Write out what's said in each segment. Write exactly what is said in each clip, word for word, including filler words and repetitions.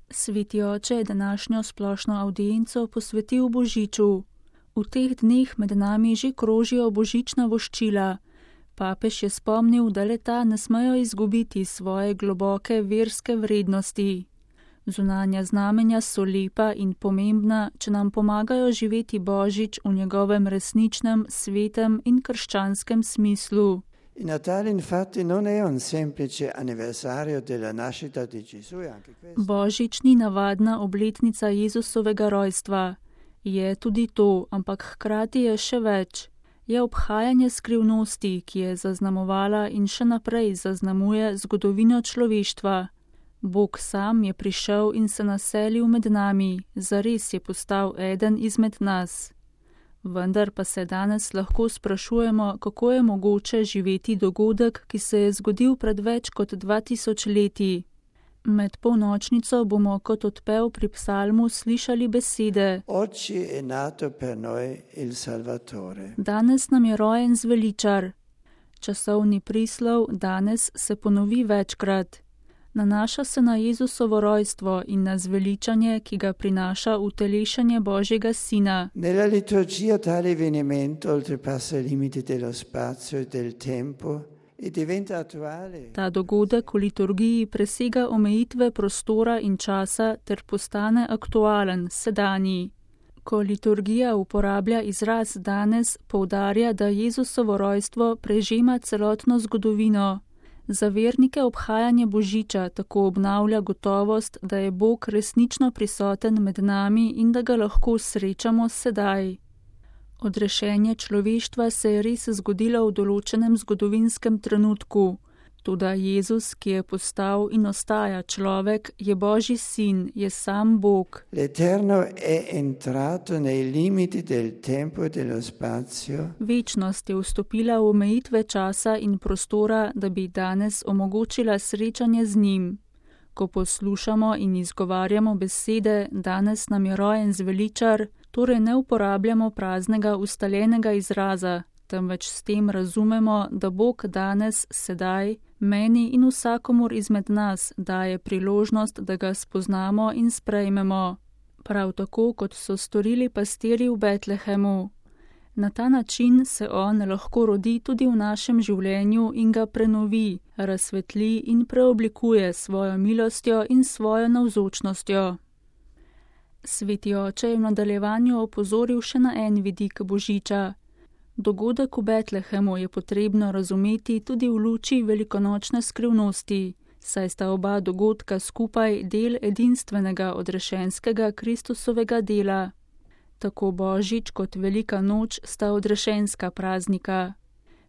Sveti oče je današnjo splošno avdienco posvetil božiču. V teh dneh med nami že krožijo božična voščila. Papež je spomnil, da le-ta ne smejo izgubiti svoje globoke verske vrednosti. Zunanja znamenja so lepa in pomembna, če nam pomagajo živeti božič v njegovem resničnem, svetem in krščanskem smislu. Il Natale infatti non è un semplice anniversario della nascita di Gesù, anche questo. Božič ni navadna obletnica Jezusovega rojstva. Je tudi to, ampak hkrati je še več. Je obhajanje skrivnosti, ki je zaznamovala in še naprej zaznamuje zgodovino človeštva. Bog sam je prišel in se naselil med nami, zares je postal eden izmed nas. Vendar pa se danes lahko sprašujemo, kako je mogoče živeti dogodek, ki se je zgodil pred več kot dva tisoč leti. Med polnočnico bomo kot odpev pri psalmu slišali besede: Oggi è nato per noi il Salvatore. Danes nam je rojen zveličar. Časovni prislov danes se ponovi večkrat. Nanaša se na Jezusovo rojstvo in na zveličanje, ki ga prinaša utelešanje Božjega Sina. Nella liturgia tale avvenimento oltrepassa i limiti dello spazio e del tempo e diventa attuale. Ta dogodek v liturgiji presega omejitve prostora in časa ter postane aktualen, sedanji. Ko liturgija uporablja izraz danes, poudarja, da Jezusovo rojstvo prežema celotno zgodovino. Za vernike obhajanje božiča tako obnavlja gotovost, da je Bog resnično prisoten med nami in da ga lahko srečamo sedaj. Odrešenje človeštva se je res zgodilo v določenem zgodovinskem trenutku. Toda Jezus, ki je postal in ostaja človek, je Božji sin, je sam Bog. L'Eterno è entrato nei limiti del tempo e dello spazio. Večnost je vstopila v omejitve časa in prostora, da bi danes omogočila srečanje z njim. Ko poslušamo in izgovarjamo besede, danes nam je rojen zveličar, torej ne uporabljamo praznega ustaljenega izraza, temveč s tem razumemo, da Bog danes, sedaj, meni in vsakomur izmed nas daje priložnost, da ga spoznamo in sprejmemo. Prav tako, kot so storili pastirji v Betlehemu. Na ta način se on lahko rodi tudi v našem življenju in ga prenovi, razsvetli in preoblikuje svojo milostjo in svojo navzočnostjo. Sveti oče je v nadaljevanju opozoril še na en vidik božiča. Dogodek v Betlehemu je potrebno razumeti tudi v luči velikonočne skrivnosti, saj sta oba dogodka skupaj del edinstvenega odrešenskega Kristusovega dela. Tako božič kot velika noč sta odrešenska praznika.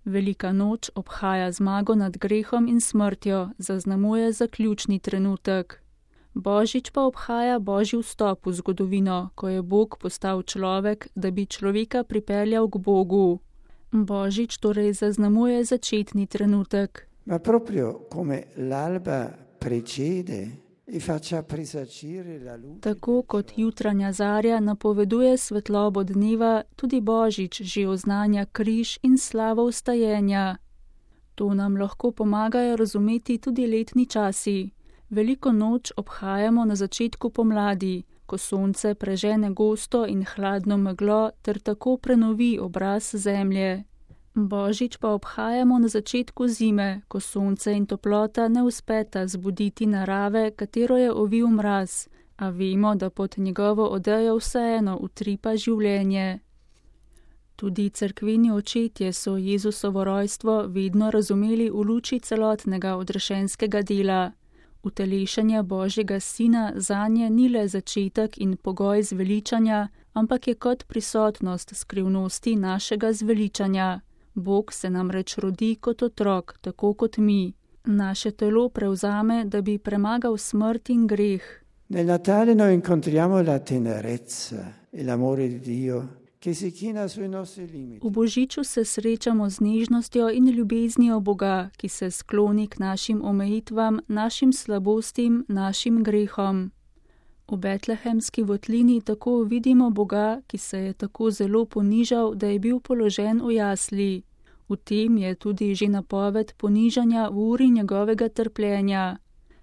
Velika noč obhaja zmago nad grehom in smrtjo, zaznamuje zaključni trenutek. Božič pa obhaja Božji vstop v zgodovino, ko je Bog postal človek, da bi človeka pripeljal k Bogu. Božič torej zaznamuje začetni trenutek. Ma proprio come l'alba precede e faccia presagire la luce. Tako kot jutranja zarja napoveduje svetlobo dneva, tudi Božič že oznanja križ in slavo vstajenja. To nam lahko pomagajo razumeti tudi letni časi. Veliko noč obhajamo na začetku pomladi, ko sonce prežene gosto in hladno meglo ter tako prenovi obraz zemlje. Božič pa obhajamo na začetku zime, ko sonce in toplota ne uspeta zbuditi narave, katero je ovil mraz, a vemo, da pod njegovo odejo vseeno utripa življenje. Tudi cerkveni očetje so Jezusovo rojstvo vedno razumeli v luči celotnega odrešenskega dela. Utelešenje Božjega Sina zanje ni le začetek in pogoj zveličanja, ampak je kot prisotnost skrivnosti našega zveličanja. Bog se namreč rodi kot otrok, tako kot mi. Naše telo prevzame, da bi premagal smrt in greh. Nel Natale noi incontriamo la tenerezza e l'amore di Dio che si china sui nostri limiti. V božiču se srečamo z nežnostjo in ljubeznijo Boga, ki se skloni k našim omejitvam, našim slabostim, našim grehom. V betlehemski votlini tako vidimo Boga, ki se je tako zelo ponižal, da je bil položen v jasli. V tem je tudi že napoved ponižanja v uri njegovega trpljenja.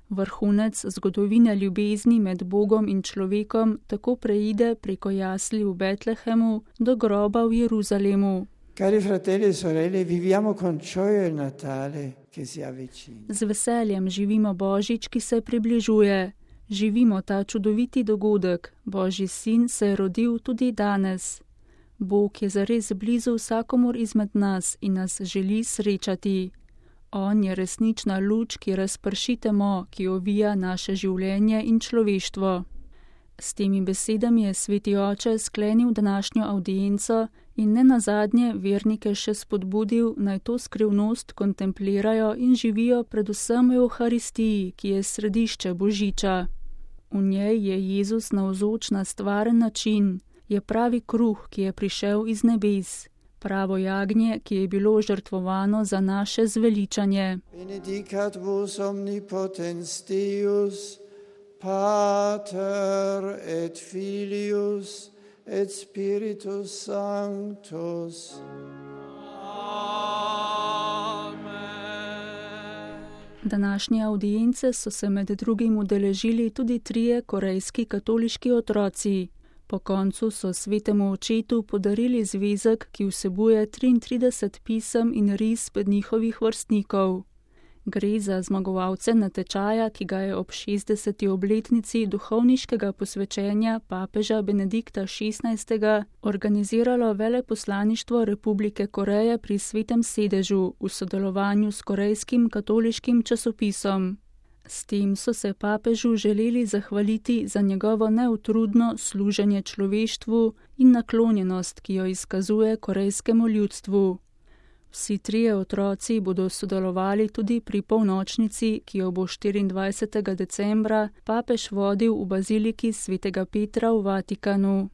Vrhunec zgodovine ljubezni med Bogom in človekom tako preide preko jasli v Betlehemu do groba v Jeruzalemu. Cari fratelli e sorelle, viviamo con gioia il Natale che si avvicina. Z veseljem živimo Božič, ki se približuje. Živimo ta čudoviti dogodek. Božji sin se je rodil tudi danes. Bog je zares blizu vsakomur izmed nas in nas želi srečati. On je resnična luč, ki razprši temo, ki ovija naše življenje in človeštvo. S temi besedami je Sveti Oče sklenil današnjo avdienco in ne nazadnje vernike še spodbudil, naj to skrivnost kontemplirajo in živijo predvsem v Euharistiji, ki je središče Božiča. V njej je Jezus navzoč na stvaren način, je pravi kruh, ki je prišel iz nebes, pravo jagnje, ki je bilo žrtvovano za naše zveličanje. Benedicat vos omnipotens Deus, Pater et Filius et Spiritus Sanctus. Današnje avdience so se med drugim udeležili tudi trije korejski katoliški otroci. Po koncu so svetemu očetu podarili zvezek, ki vsebuje triintrideset pisem in risb njihovih vrstnikov. Gre za zmagovalce natečaja, ki ga je ob šestdeseti obletnici duhovniškega posvečenja papeža Benedikta šestnajstega organiziralo Veleposlaništvo Republike Koreje pri Svetem sedežu v sodelovanju s korejskim katoliškim časopisom. S tem so se papežu želeli zahvaliti za njegovo neutrudno služenje človeštvu in naklonjenost, ki jo izkazuje korejskemu ljudstvu. Vsi trije otroci bodo sodelovali tudi pri polnočnici, ki jo bo štiriindvajsetega decembra papež vodil v baziliki Svetega Petra v Vatikanu.